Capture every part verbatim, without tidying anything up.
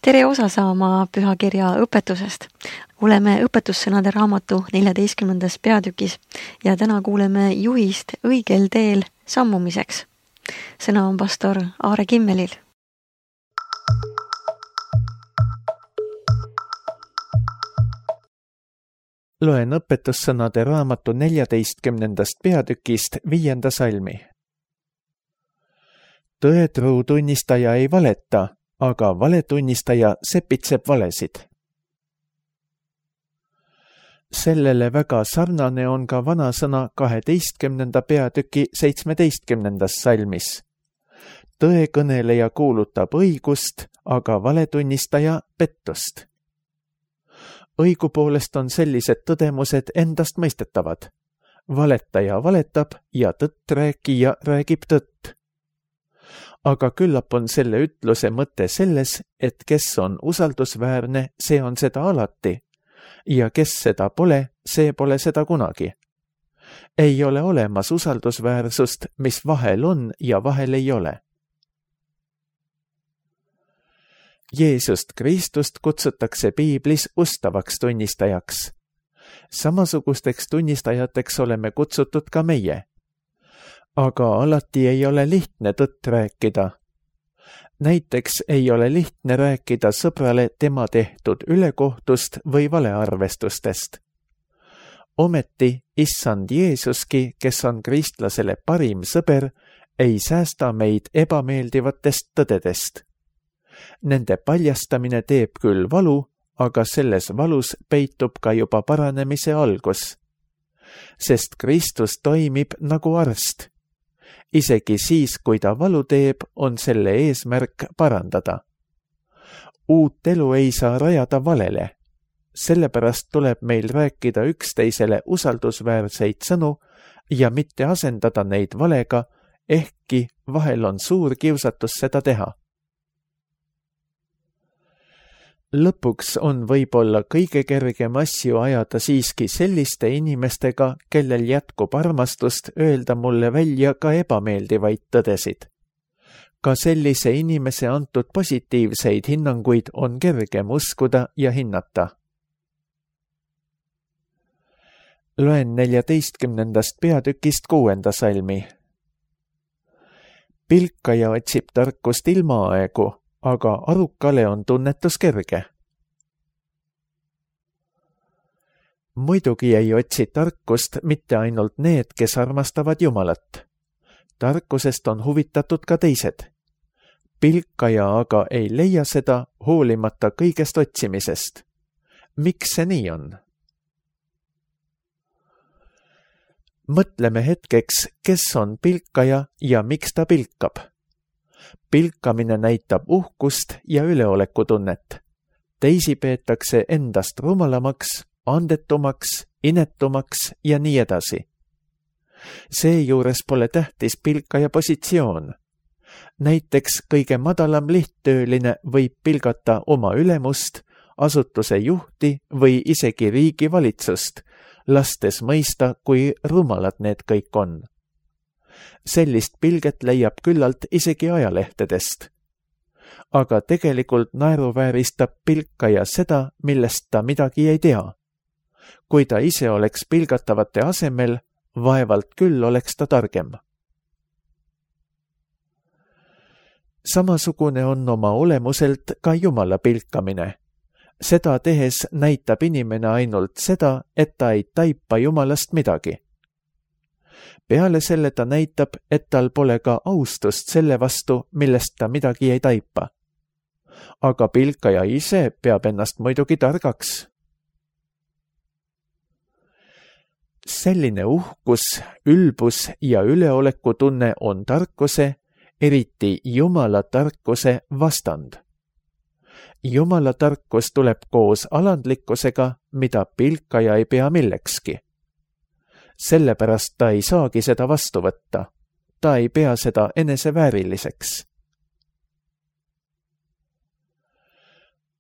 tere osa saama pühakirja õpetusest. Oleme õpetussõnade raamatu neljateistkümnendas peatükis ja täna kuuleme juhist õigel teel sammumiseks. Sõna on pastor Aare Kimmelil. Loen õpetussõnade raamatu neljateistkümnendast peatükist viienda salmi. Tõetruu tunnistaja ei valeta, aga valetunnistaja sepitseb valesid. Sellele väga sarnane on ka vanasõna kaheteistkümnenda peatüki seitsmeteistkümnendas salmis. Tõekõneleja kuulutab õigust, aga valetunnistaja pettust. Õigupoolest on sellised tõdemused endast mõistetavad. Valetaja valetab ja tõtt rääkija räägib tõtt. Aga küllap on selle ütluse mõte selles, et kes on usaldusväärne, see on seda alati, ja kes seda pole, see pole seda kunagi. Ei ole olemas usaldusväärsust, mis vahel on ja vahel ei ole. Jeesust Kristust kutsutakse piiblis ustavaks tunnistajaks. Samasugusteks tunnistajateks oleme kutsutud ka meie. Aga alati ei ole lihtne tõtt rääkida. Näiteks ei ole lihtne rääkida sõbrale tema tehtud ülekohtust või valearvestustest. Ometi issand Jeesuski, kes on kristlasele parim sõber, ei säästa meid ebameeldivatest tõdedest. Nende paljastamine teeb küll valu, aga selles valus peitub ka juba paranemise algus. Sest Kristus toimib nagu arst. Isegi siis, kui ta valu teeb, on selle eesmärk parandada. Uut elu ei saa rajada valele. Sellepärast tuleb meil rääkida üksteisele usaldusväärseid sõnu ja mitte asendada neid valega, ehkki vahel on suur kiusatus seda teha. Lõpuks on võib-olla kõige kergem asju ajada siiski selliste inimestega, kellel jätkub armastust öelda mulle välja ka ebameeldivaid tõdesid. Ka sellise inimese antud positiivseid hinnanguid on kergem uskuda ja hinnata. Loen neljateistkümnendast peatükist kuuenda salmi. Pilkaja otsib tarkust ilmaaegu, aga arukale on tunnetus kerge. Muidugi ei otsi tarkust mitte ainult need, kes armastavad Jumalat. Tarkusest on huvitatud ka teised. Pilkaja aga ei leia seda hoolimata kõigest otsimisest. Miks see nii on? Mõtleme hetkeks, kes on pilkaja ja miks ta pilkab. Pilkamine näitab uhkust ja üleolekutunnet. Teisi peetakse endast rumalamaks, andetumaks, inetumaks ja nii edasi. Seejuures pole tähtis pilkaja positsioon. Näiteks kõige madalam lihttööline võib pilgata oma ülemust, asutuse juhti või isegi riigi valitsust, lastes mõista, kui rumalad need kõik on. Sellist pilget leiab küllalt isegi ajalehtedest. Aga tegelikult naeruvääristab pilkaja seda, millest ta midagi ei tea. Kui ta ise oleks pilgatavate asemel, vaevalt küll oleks ta targem. Samasugune on oma olemuselt ka Jumala pilkamine. Seda tehes näitab inimene ainult seda, et ta ei taipa Jumalast midagi. Peale selle ta näitab, et tal pole ka austust selle vastu, millest ta midagi ei taipa. Aga pilkaja ise peab ennast muidugi targaks. Selline uhkus, ülbus ja üleolekutunne on tarkuse, eriti Jumala tarkuse vastand. Jumala tarkus tuleb koos alandlikkusega, mida pilkaja ei pea millekski. Sellepärast ta ei saagi seda vastu võtta. Ta ei pea seda enesevääriliseks.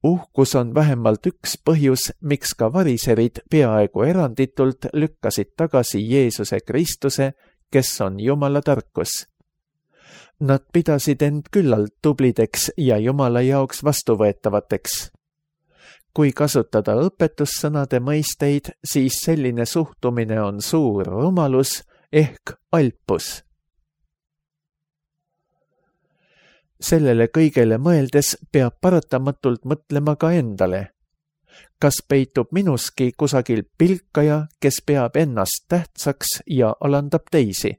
Uhkus on vähemalt üks põhjus, miks ka variserid peaaegu eranditult lükkasid tagasi Jeesuse Kristuse, kes on Jumala tarkus. Nad pidasid end küllalt tublideks ja Jumala jaoks vastuvõetavateks. Kui kasutada õpetussõnade mõisteid, siis selline suhtumine on suur rumalus ehk alpus. Sellele kõigele mõeldes peab paratamatult mõtlema ka endale. Kas peitub minuski kusagil pilkaja, kes peab ennast tähtsaks ja alandab teisi?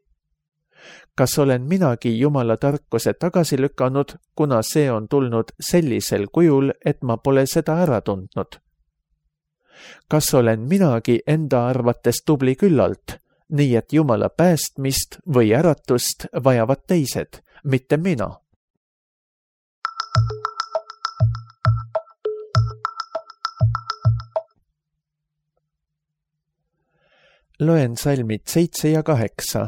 Kas olen minagi Jumala tarkuse tagasi lükanud, kuna see on tulnud sellisel kujul, et ma pole seda ära tundnud? Kas olen minagi enda arvates tubli küllalt, nii et Jumala päästmist või äratust vajavad teised, mitte mina? Loen salmid seitse ja kaheksa.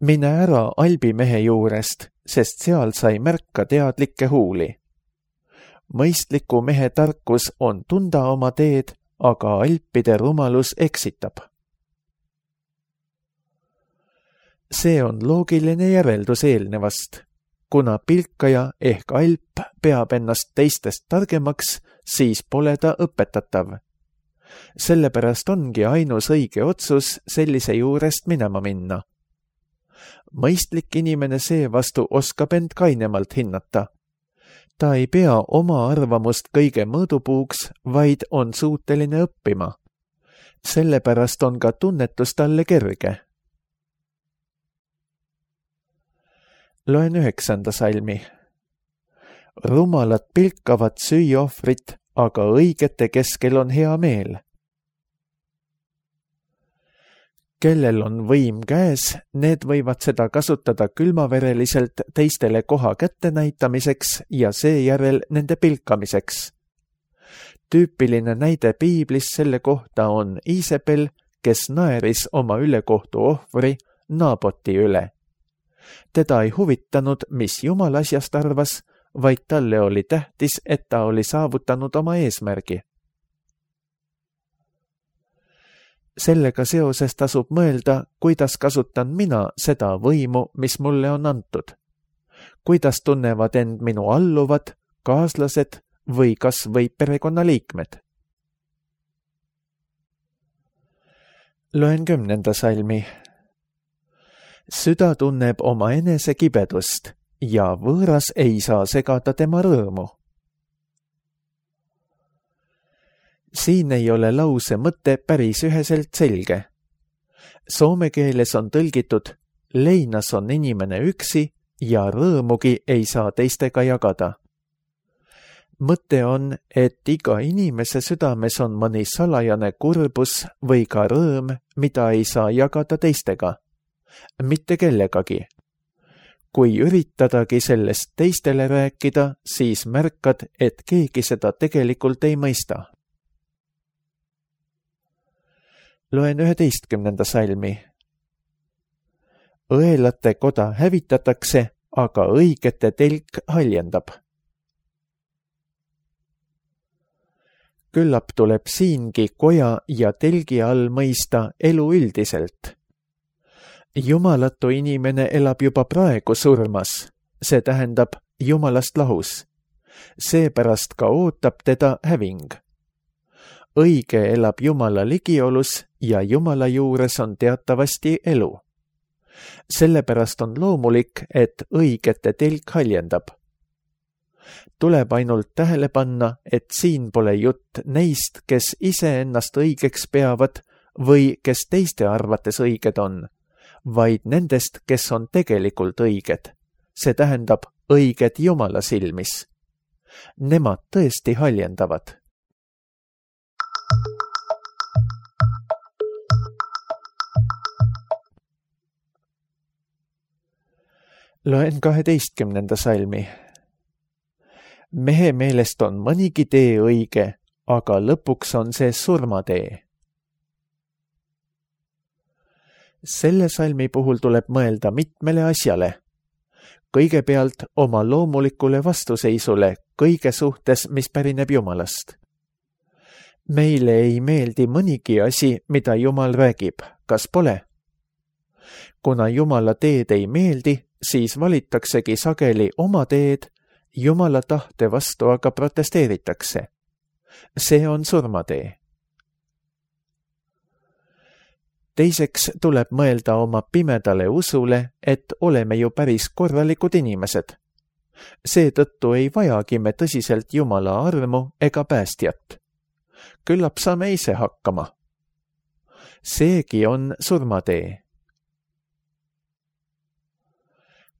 Mine ära albimehe juurest, sest seal sai märka teadlikke huuli. Mõistliku mehe tarkus on tunda oma teed, aga alpide rumalus eksitab. See on loogiline järeldus eelnevast. Kuna pilkaja ehk alp peab ennast teistest targemaks, siis pole ta õpetatav. Sellepärast ongi ainus õige otsus sellise juurest minema minna. Mõistlik inimene seevastu oskab end kainemalt hinnata. Ta ei pea oma arvamust kõige mõõdupuuks, vaid on suuteline õppima. Sellepärast on ka tunnetus talle kerge. Loen üheksanda salmi. Rumalad pilkavad süüohvrit, aga õigete keskel on hea meel. Kellel on võim käes, need võivad seda kasutada külmavereliselt teistele koha kätte näitamiseks ja seejärel nende pilkamiseks. Tüüpiline näide piiblis selle kohta on Iisabel, kes naeris oma ülekohtu ohvri Naaboti üle. Teda ei huvitanud, mis Jumal asjast arvas, vaid talle oli tähtis, et ta oli saavutanud oma eesmärgi. Sellega seoses tasub mõelda, kuidas kasutan mina seda võimu, mis mulle on antud. Kuidas tunnevad end minu alluvad, kaaslased või kas või perekonnaliikmed. Loen kümnenda salmi. Süda tunneb oma enese kibedust ja võõras ei saa segada tema rõõmu. Siin ei ole lause mõte päris üheselt selge. Soome keeles on tõlgitud, leinas on inimene üksi ja rõõmugi ei saa teistega jagada. Mõte on, et iga inimese südames on mõni salajane kurbus või ka rõõm, mida ei saa jagada teistega. Mitte kellegagi. Kui üritadagi sellest teistele rääkida, siis märkad, et keegi seda tegelikult ei mõista. Loen üheteistkümnenda salmi. Õelate koda hävitatakse, aga õigete telk haljendab. Küllap tuleb siingi koja ja telgi all mõista elu üldiselt. Jumalatu inimene elab juba praegu surmas, see tähendab Jumalast lahus. Seepärast ka ootab teda häving. Õige elab Jumala ligiolus ja Jumala juures on teatavasti elu. Sellepärast on loomulik, et õigete telk haljendab. Tuleb ainult tähele panna, et siin pole jutt neist, kes ise ennast õigeks peavad või kes teiste arvates õiged on, vaid nendest, kes on tegelikult õiged. See tähendab õiged Jumala silmis. Nemad tõesti haljendavad. Loen kaheteistkümnenda salmi. Mehe meelest on mõnigi tee õige, aga lõpuks on see surmatee. Selle salmi puhul tuleb mõelda mitmele asjale. Kõigepealt oma loomulikule vastuseisule kõige suhtes, mis pärineb Jumalast. Meile ei meeldi mõnigi asi, mida Jumal räägib, kas pole? Kuna Jumala teed ei meeldi, siis valitaksegi sageli oma teed, Jumala tahte vastu aga protesteeritakse. See on surmatee. Teiseks tuleb mõelda oma pimedale usule, et oleme ju päris korralikud inimesed. Seetõttu ei vajagi me tõsiselt Jumala armu ega päästjat. Küllap saame ise hakkama. Seegi on surmatee.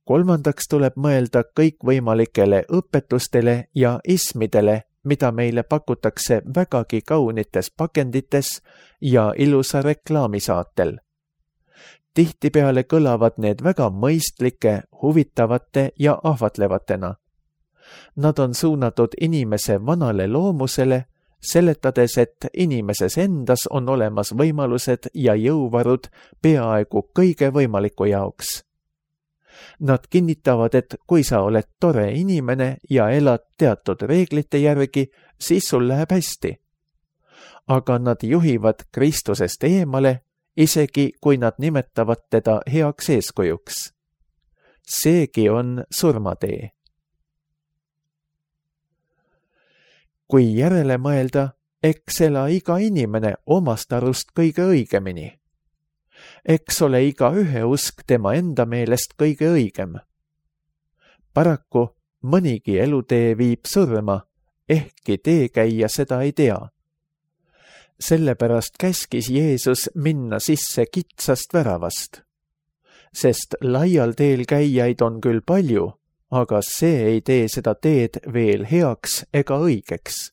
Kolmandaks tuleb mõelda kõikvõimalikele õpetustele ja ismidele, mida meile pakutakse vägagi kaunites pakendites ja ilusa reklaamisaatel. Tihtipeale kõlavad need väga mõistlike, huvitavate ja ahvatlevatena. Nad on suunatud inimese vanale loomusele, seletades, et inimeses endas on olemas võimalused ja jõuvarud peaaegu kõige võimaliku jaoks. Nad kinnitavad, et kui sa oled tore inimene ja elad teatud reeglite järgi, siis sul läheb hästi. Aga nad juhivad Kristusest eemale, isegi kui nad nimetavad teda heaks eeskujuks. Seegi on surmatee. Kui järele mõelda, eks ela iga inimene omast arust kõige õigemini. Eks ole iga ühe usk tema enda meelest kõige õigem. Paraku mõnigi elutee viib surma, ehkki teekäija seda ei tea. Sellepärast käskis Jeesus minna sisse kitsast väravast. Sest laial teel käijaid on küll palju, aga see ei tee seda teed veel heaks ega õigeks.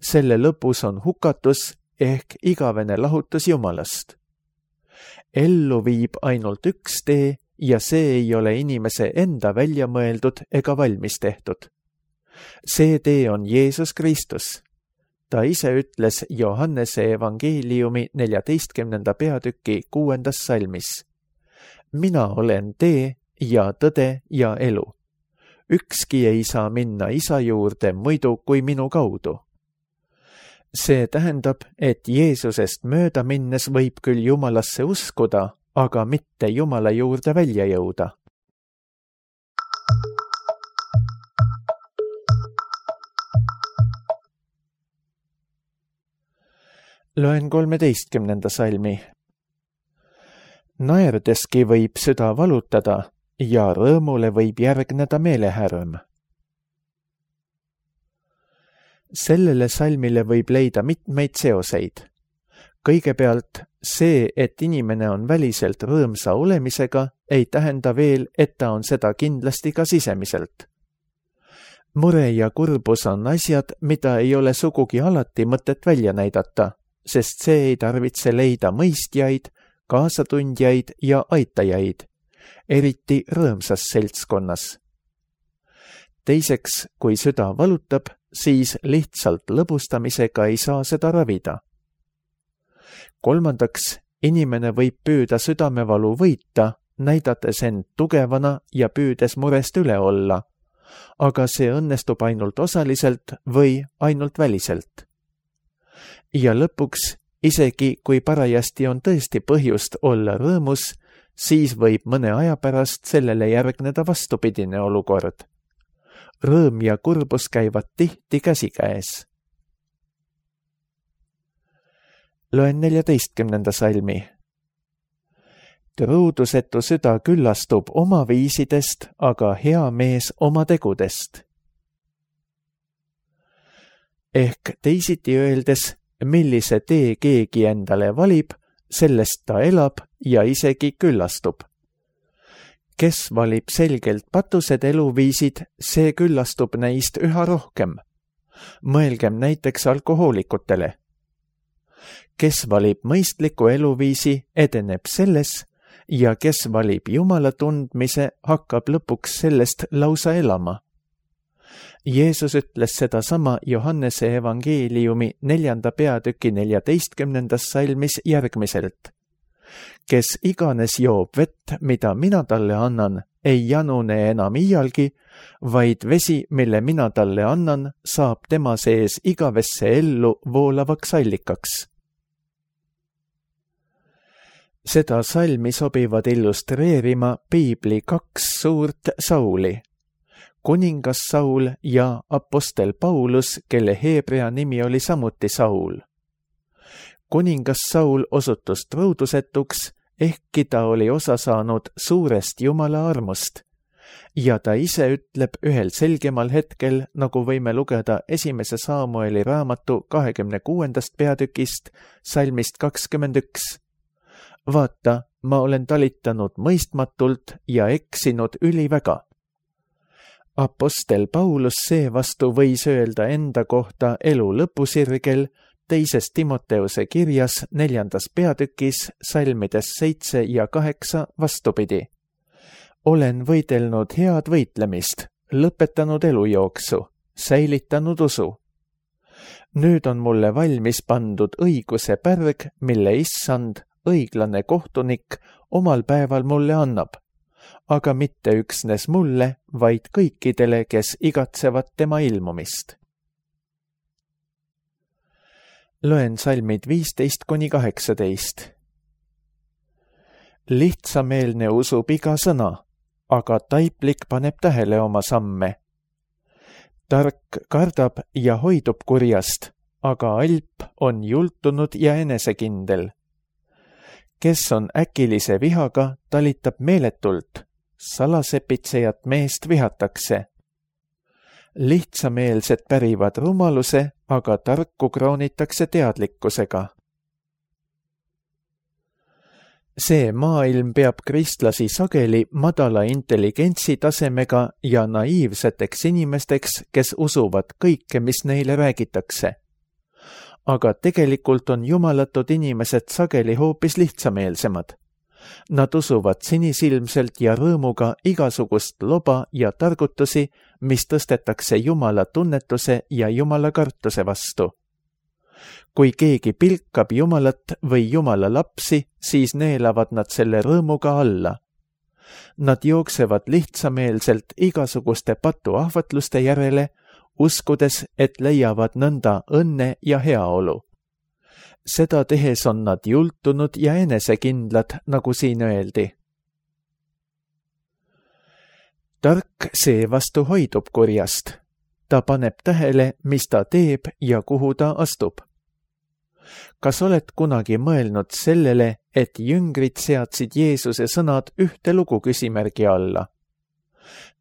Selle lõpus on hukatus ehk igavene lahutus Jumalast. Ellu viib ainult üks tee ja see ei ole inimese enda välja mõeldud ega valmis tehtud. See tee on Jeesus Kristus. Ta ise ütles Johannese evangeeliumi neljateistkümnenda peatüki kuuendas salmis. Mina olen tee ja tõde ja elu. Ükski ei saa minna isa juurde muidu kui minu kaudu. See tähendab, et Jeesusest mööda minnes võib küll Jumalasse uskuda, aga mitte Jumala juurde välja jõuda. Loen kolmeteistkümnenda salmi. Naerdeski võib süda valutada ja rõõmule võib järgneda meelehärm. Sellele salmile võib leida mitmeid seoseid. Kõigepealt see, et inimene on väliselt rõõmsa olemisega, ei tähenda veel, et ta on seda kindlasti ka sisemiselt. Mure ja kurbus on asjad, mida ei ole sugugi alati mõtet välja näidata, sest see ei tarvitse leida mõistjaid, kaasatundjaid ja aitajaid, eriti rõõmsas seltskonnas. Teiseks, kui süda valutab, siis lihtsalt lõbustamisega ei saa seda ravida. Kolmandaks, inimene võib püüda südamevalu võita, näidates end tugevana ja püüdes murest üle olla, aga see õnnestub ainult osaliselt või ainult väliselt. Ja lõpuks, isegi kui parajasti on tõesti põhjust olla rõõmus, siis võib mõne aja pärast sellele järgneda vastupidine olukord. Rõõm ja kurbus käivad tihti käsikäes. Loen neljateistkümnenda salmi. Truudusetu süda küllastub oma viisidest, aga hea mees oma tegudest. Ehk teisiti öeldes, millise tee keegi endale valib, sellest ta elab ja isegi küllastub. Kes valib selgelt patused eluviisid, see küllastub neist üha rohkem. Mõelgem näiteks alkohoolikutele. Kes valib mõistliku eluviisi, edeneb selles ja kes valib Jumala tundmise, hakkab lõpuks sellest lausa elama. Jeesus ütles sedasama Johannese evangeeliumi neljanda peatüki neljateistkümnendas salmis järgmiselt. Kes iganes joob vett, mida mina talle annan, ei janune enam iialgi, vaid vesi, mille mina talle annan, saab tema sees igavesse ellu voolavaks allikaks. Seda salmi sobivad illustreerima piibli kaks suurt Sauli, kuningas Saul ja apostel Paulus, kelle heebrea nimi oli samuti Saul. Kuningas Saul osutus truudusetuks, ehkki ta oli osa saanud suurest Jumala armust, ja ta ise ütleb ühel selgemal hetkel, nagu võime lugeda esimese Saamueli raamatu kahekümne kuuendast peatükist, salmist kakskümmend üks. Vaata, ma olen talitanud mõistmatult ja eksinud üliväga. Apostel Paulus seevastu võis öelda enda kohta elu lõpusirgel teises Timoteuse kirjas neljandas peatükis salmides seitse ja kaheksa vastupidi. Olen võidelnud head võitlemist, lõpetanud elujooksu, säilitanud usu. Nüüd on mulle valmis pandud õiguse pärg, mille issand, õiglane kohtunik, omal päeval mulle annab, aga mitte üksnes mulle, vaid kõikidele, kes igatsevad tema ilmumist. Loen salmid viisteist kuni kaheksateist. Lihtsameelne usub iga sõna, aga taiplik paneb tähele oma samme. Tark kardab ja hoidub kurjast, aga alp on jultunud ja enesekindel. Kes on äkilise vihaga, talitab meeletult, salasepitsejat meest vihatakse. Lihtsameelsed pärivad rumaluse, aga tarku kroonitakse teadlikkusega. See maailm peab kristlasi sageli madala intelligentsi tasemega ja naiivseteks inimesteks, kes usuvad kõike, mis neile räägitakse. Aga tegelikult on jumalatud inimesed sageli hoopis lihtsameelsemad. Nad usuvad sinisilmselt ja rõõmuga igasugust loba ja targutusi, mis tõstetakse Jumala tunnetuse ja Jumala kartuse vastu. Kui keegi pilkab Jumalat või Jumala lapsi, siis neelavad nad selle rõõmuga alla. Nad jooksevad lihtsameelselt igasuguste patuahvatluste järele, uskudes, et leiavad nõnda õnne ja heaolu. Seda tehes on nad jultunud ja enesekindlad, nagu siin öeldi. Tark seevastu hoidub kurjast. Ta paneb tähele, mis ta teeb ja kuhu ta astub. Kas oled kunagi mõelnud sellele, et jüngrid seadsid Jeesuse sõnad ühte lugu küsimärgi alla?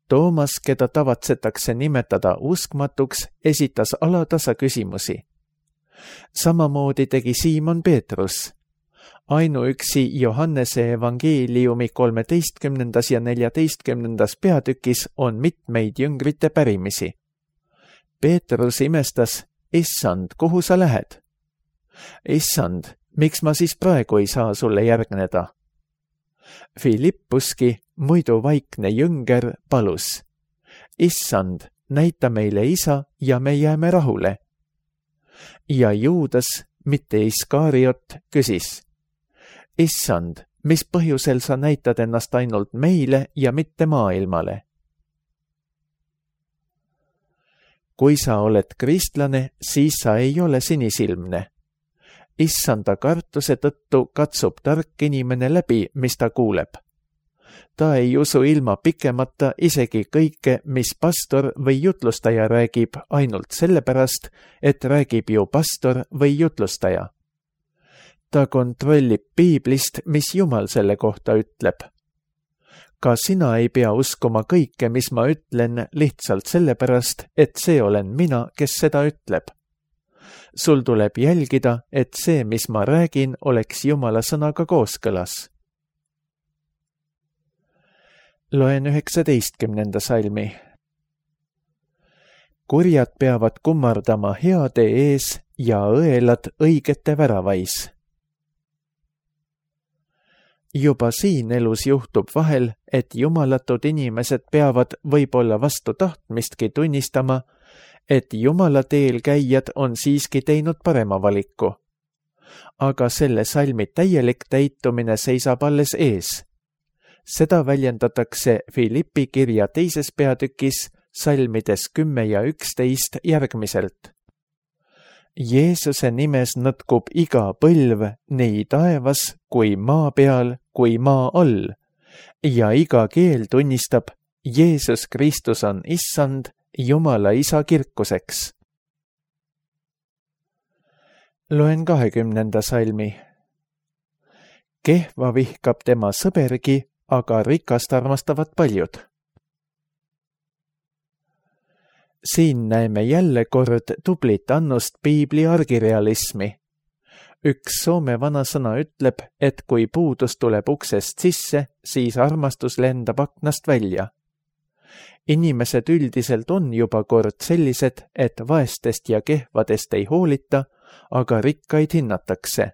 Toomas, keda tavatsetakse nimetada uskmatuks, esitas alatasa küsimusi. Samamoodi tegi Siimon Peetrus. Ainuüksi Johannese evangeeliumi kolmeteistkümnendas ja neljateistkümnendas peatükis on mitmeid jüngrite pärimisi. Peetrus imestas, issand, kuhu sa lähed? Issand, miks ma siis praegu ei saa sulle järgneda? Filippuski, muidu vaikne jünger, palus. Issand, näita meile isa ja me jääme rahule. Ja Juudas, mitte Iskariot, küsis. Issand, mis põhjusel sa näitad ennast ainult meile ja mitte maailmale? Kui sa oled kristlane, siis sa ei ole sinisilmne. Issanda kartuse tõttu katsub tark inimene läbi, mis ta kuuleb. Ta ei usu ilma pikemata isegi kõike, mis pastor või jutlustaja räägib ainult sellepärast, et räägib ju pastor või jutlustaja. Ta kontrollib piiblist, mis Jumal selle kohta ütleb. Ka sina ei pea uskuma kõike, mis ma ütlen lihtsalt sellepärast, et see olen mina, kes seda ütleb. Sul tuleb jälgida, et see, mis ma räägin, oleks Jumala sõnaga kooskõlas. Loen üheksateistkümnenda salmi. Kurjad peavad kummardama heade ees ja õelad õigete väravais. Juba siin elus juhtub vahel, et jumalatud inimesed peavad võib-olla vastu tahtmistki tunnistama, et Jumala teel käijad on siiski teinud parema valiku. Aga selle salmi täielik täitumine seisab alles ees. Seda väljendatakse Filippi kirja teises peatükis salmides kümme ja üksteist järgmiselt. Jeesuse nimes nõtkub iga põlv nii taevas kui maa peal kui maa all ja iga keel tunnistab, Jeesus Kristus on issand Jumala isa kirkuseks. Loen kahekümnenda salmi. Kehva vihkab tema sõbergi, aga rikast armastavad paljud. Siin näeme jälle kord tublit annust piibli argirealismi. Üks Soome vanasõna ütleb, et kui puudus tuleb uksest sisse, siis armastus lendab aknast välja. Inimesed üldiselt on juba kord sellised, et vaestest ja kehvadest ei hoolita, aga rikkaid hinnatakse.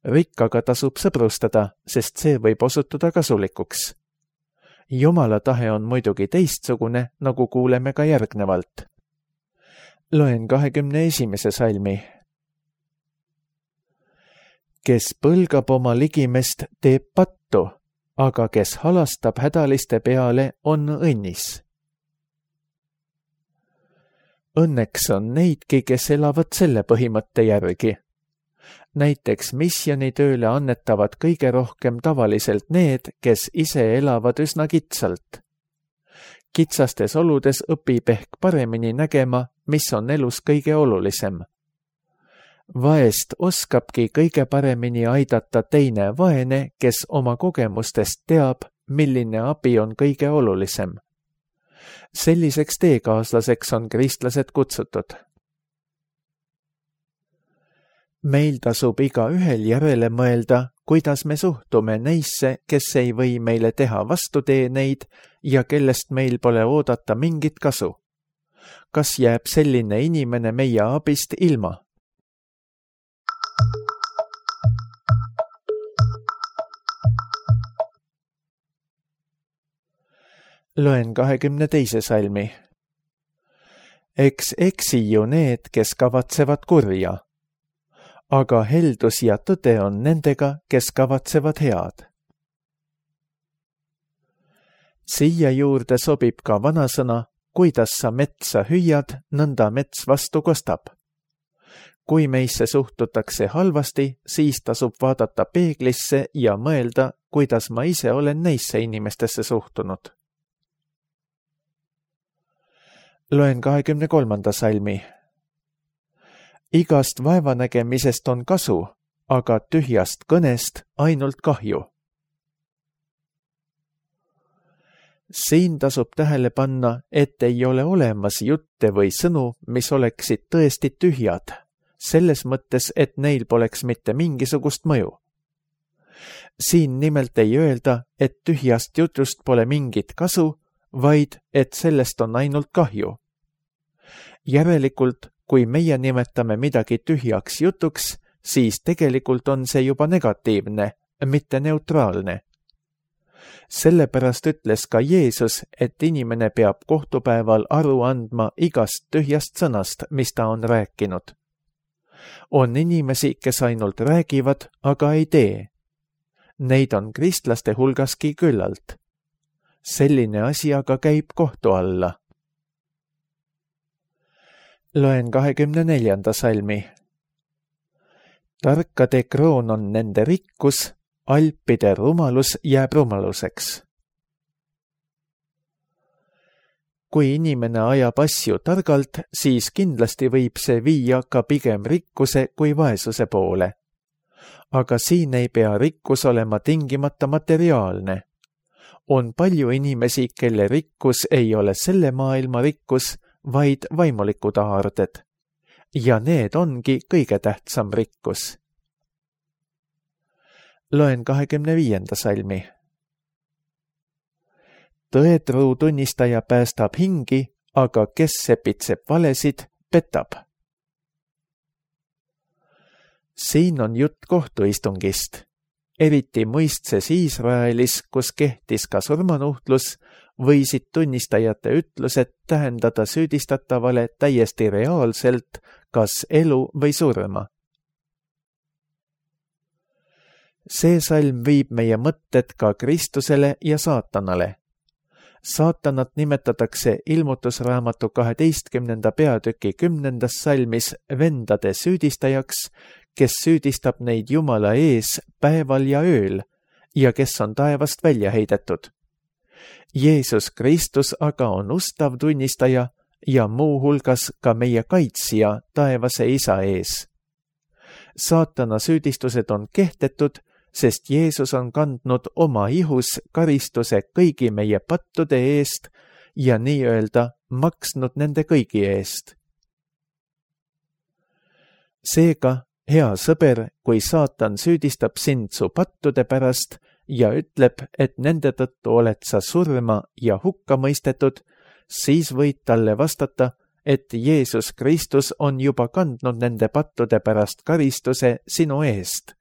Rikkaga tasub sõbrustada, sest see võib osutuda kasulikuks. Jumala tahe on muidugi teistsugune, nagu kuuleme ka järgnevalt. Loen kahekümne esimese salmi. Kes põlgab oma ligimest, teeb pattu, aga kes halastab hädaliste peale, on õnnis. Õnneks on neidki, kes elavad selle põhimõtte järgi. Näiteks missionitööle annetavad kõige rohkem tavaliselt need, kes ise elavad üsna kitsalt. Kitsastes oludes õpib ehk paremini nägema, mis on elus kõige olulisem. Vaest oskabki kõige paremini aidata teine vaene, kes oma kogemustest teab, milline abi on kõige olulisem. Selliseks teekaaslaseks on kristlased kutsutud. Meil tasub iga ühel järele mõelda, kuidas me suhtume neisse, kes ei või meile teha vastuteeneid ja kellest meil pole oodata mingit kasu. Kas jääb selline inimene meie abist ilma? Loen kahekümne teise salmi. Eks eksi ju need, kes kavatsevad kurja, aga heldus ja tõde on nendega, kes kavatsevad head. Siia juurde sobib ka vanasõna, kuidas sa metsa hüüad, nõnda mets vastu kostab. Kui meisse suhtutakse halvasti, siis tasub vaadata peeglisse ja mõelda, kuidas ma ise olen neisse inimestesse suhtunud. Loen kahekümne kolmanda salmi. Igast vaevanägemisest on kasu, aga tühjast kõnest ainult kahju. Siin tasub tähele panna, et ei ole olemas jutte või sõnu, mis oleksid tõesti tühjad, selles mõttes, et neil poleks mitte mingisugust mõju. Siin nimelt ei öelda, et tühjast jutust pole mingit kasu, vaid et sellest on ainult kahju. Järelikult, kui meie nimetame midagi tühjaks jutuks, siis tegelikult on see juba negatiivne, mitte neutraalne. Sellepärast ütles ka Jeesus, et inimene peab kohtupäeval aru andma igast tühjast sõnast, mis ta on rääkinud. On inimesi, kes ainult räägivad, aga ei tee. Neid on kristlaste hulgaski küllalt. Selline asi aga käib kohtu alla. Loen kahekümne neljanda salmi. Tarkade kroon on nende rikkus, alpide rumalus jääb rumaluseks. Kui inimene ajab asju targalt, siis kindlasti võib see viia ka pigem rikkuse kui vaesuse poole. Aga siin ei pea rikkus olema tingimata materiaalne. On palju inimesi, kelle rikkus ei ole selle maailma rikkus, vaid vaimulikud aarded. Ja need ongi kõige tähtsam rikkus. Loen kahekümne viienda salmi. Tõetruu tunnistaja päästab hingi, aga kes sepitseb valesid, petab. Siin on jutt kohtuistungist. Eriti mõistses Iisraelis, kus kehtis ka surmanuhtlus, võisid tunnistajate ütlused tähendada süüdistatavale täiesti reaalselt kas elu või surma. See salm viib meie mõtted ka Kristusele ja saatanale. Saatanat nimetatakse ilmutusraamatu kaheteistkümnenda peatüki kümnendas salmis vendade süüdistajaks, kes süüdistab neid Jumala ees päeval ja ööl ja kes on taevast välja heidetud. Jeesus Kristus aga on ustav tunnistaja ja muu hulgas ka meie kaitsja taevase Isa ees. Saatana süüdistused on kehtetud, sest Jeesus on kandnud oma ihus karistuse kõigi meie pattude eest ja nii-öelda maksnud nende kõigi eest. Seega, hea sõber, kui saatan süüdistab sind su pattude pärast ja ütleb, et nende tõttu oled sa surma ja hukka mõistetud, siis võid talle vastata, et Jeesus Kristus on juba kandnud nende pattude pärast karistuse sinu eest.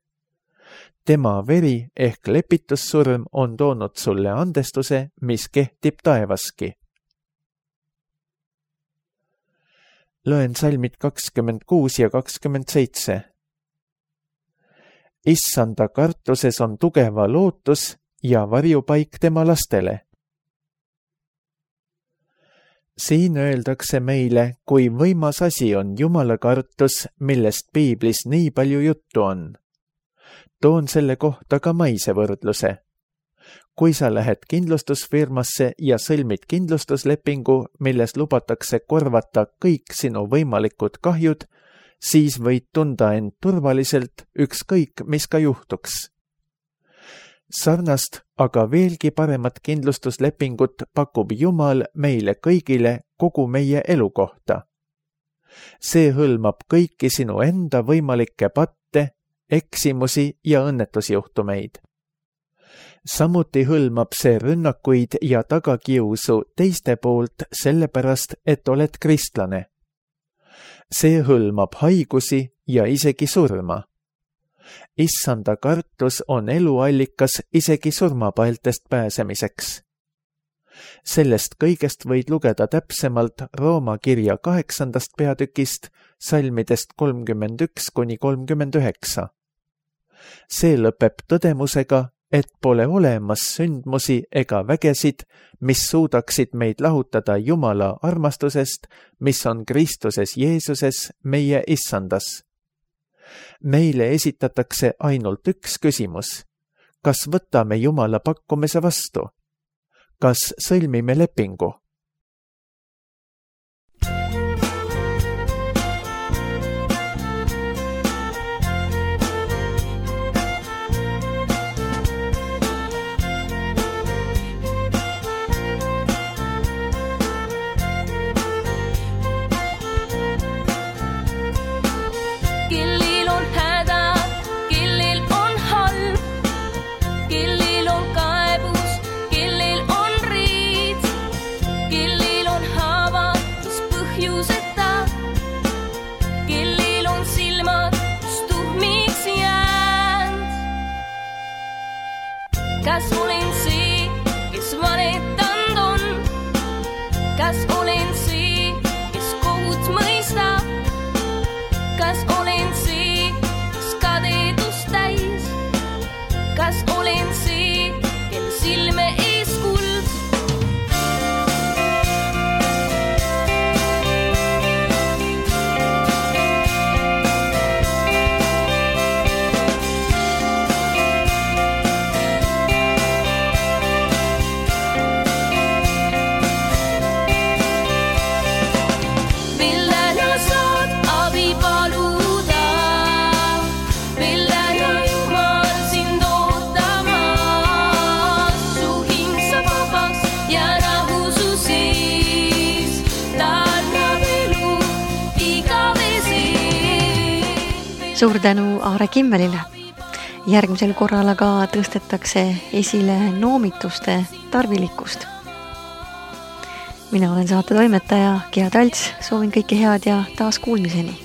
Tema veri ehk lepitussurm on toonud sulle andestuse, mis kehtib taevaski. Loen salmid kakskümmend kuus ja kakskümmend seitse. Issanda kartuses on tugeva lootus ja varjupaik tema lastele. Siin öeldakse meile, kui võimas asi on Jumala kartus, millest piiblis nii palju juttu on. Toon selle kohta ka maise võrdluse. Kui sa lähed kindlustusfirmasse ja sõlmid kindlustuslepingu, milles lubatakse korvata kõik sinu võimalikud kahjud, siis võid tunda end turvaliselt ükskõik, mis ka juhtuks. Sarnast, aga veelgi paremat kindlustuslepingut pakub Jumal meile kõigile kogu meie elu kohta. See hõlmab kõiki sinu enda võimalikke patte, eksimusi ja õnnetusjuhtumeid. Samuti hõlmab see rünnakuid ja tagakiusu teiste poolt sellepärast, et oled kristlane. See hõlmab haigusi ja isegi surma. Issanda kartus on eluallikas isegi surmapaeltest pääsemiseks. Sellest kõigest võid lugeda täpsemalt Rooma kirja kaheksandast peatükist, salmidest kolmkümmend üks kuni kolmkümmend üheksa. See lõpeb tõdemusega, et pole olemas sündmusi ega vägesid, mis suudaksid meid lahutada Jumala armastusest, mis on Kristuses Jeesuses meie Issandas. Meile esitatakse ainult üks küsimus. Kas võtame Jumala pakkumise vastu? Kas sõlmime lepingu? Kas olen see, kes valetanud on? Kas olen see, kes kohut mõistab? Kas olen see, kes kadedust täis? Kas olen see, kel silme ees kuld? Suur tänu Aare Kimmelile. Järgmisel korral aga tõstetakse esile noomituste tarvilikkust. Mina olen saate toimetaja Gea Talts, soovin kõike head ja taas kuulmiseni.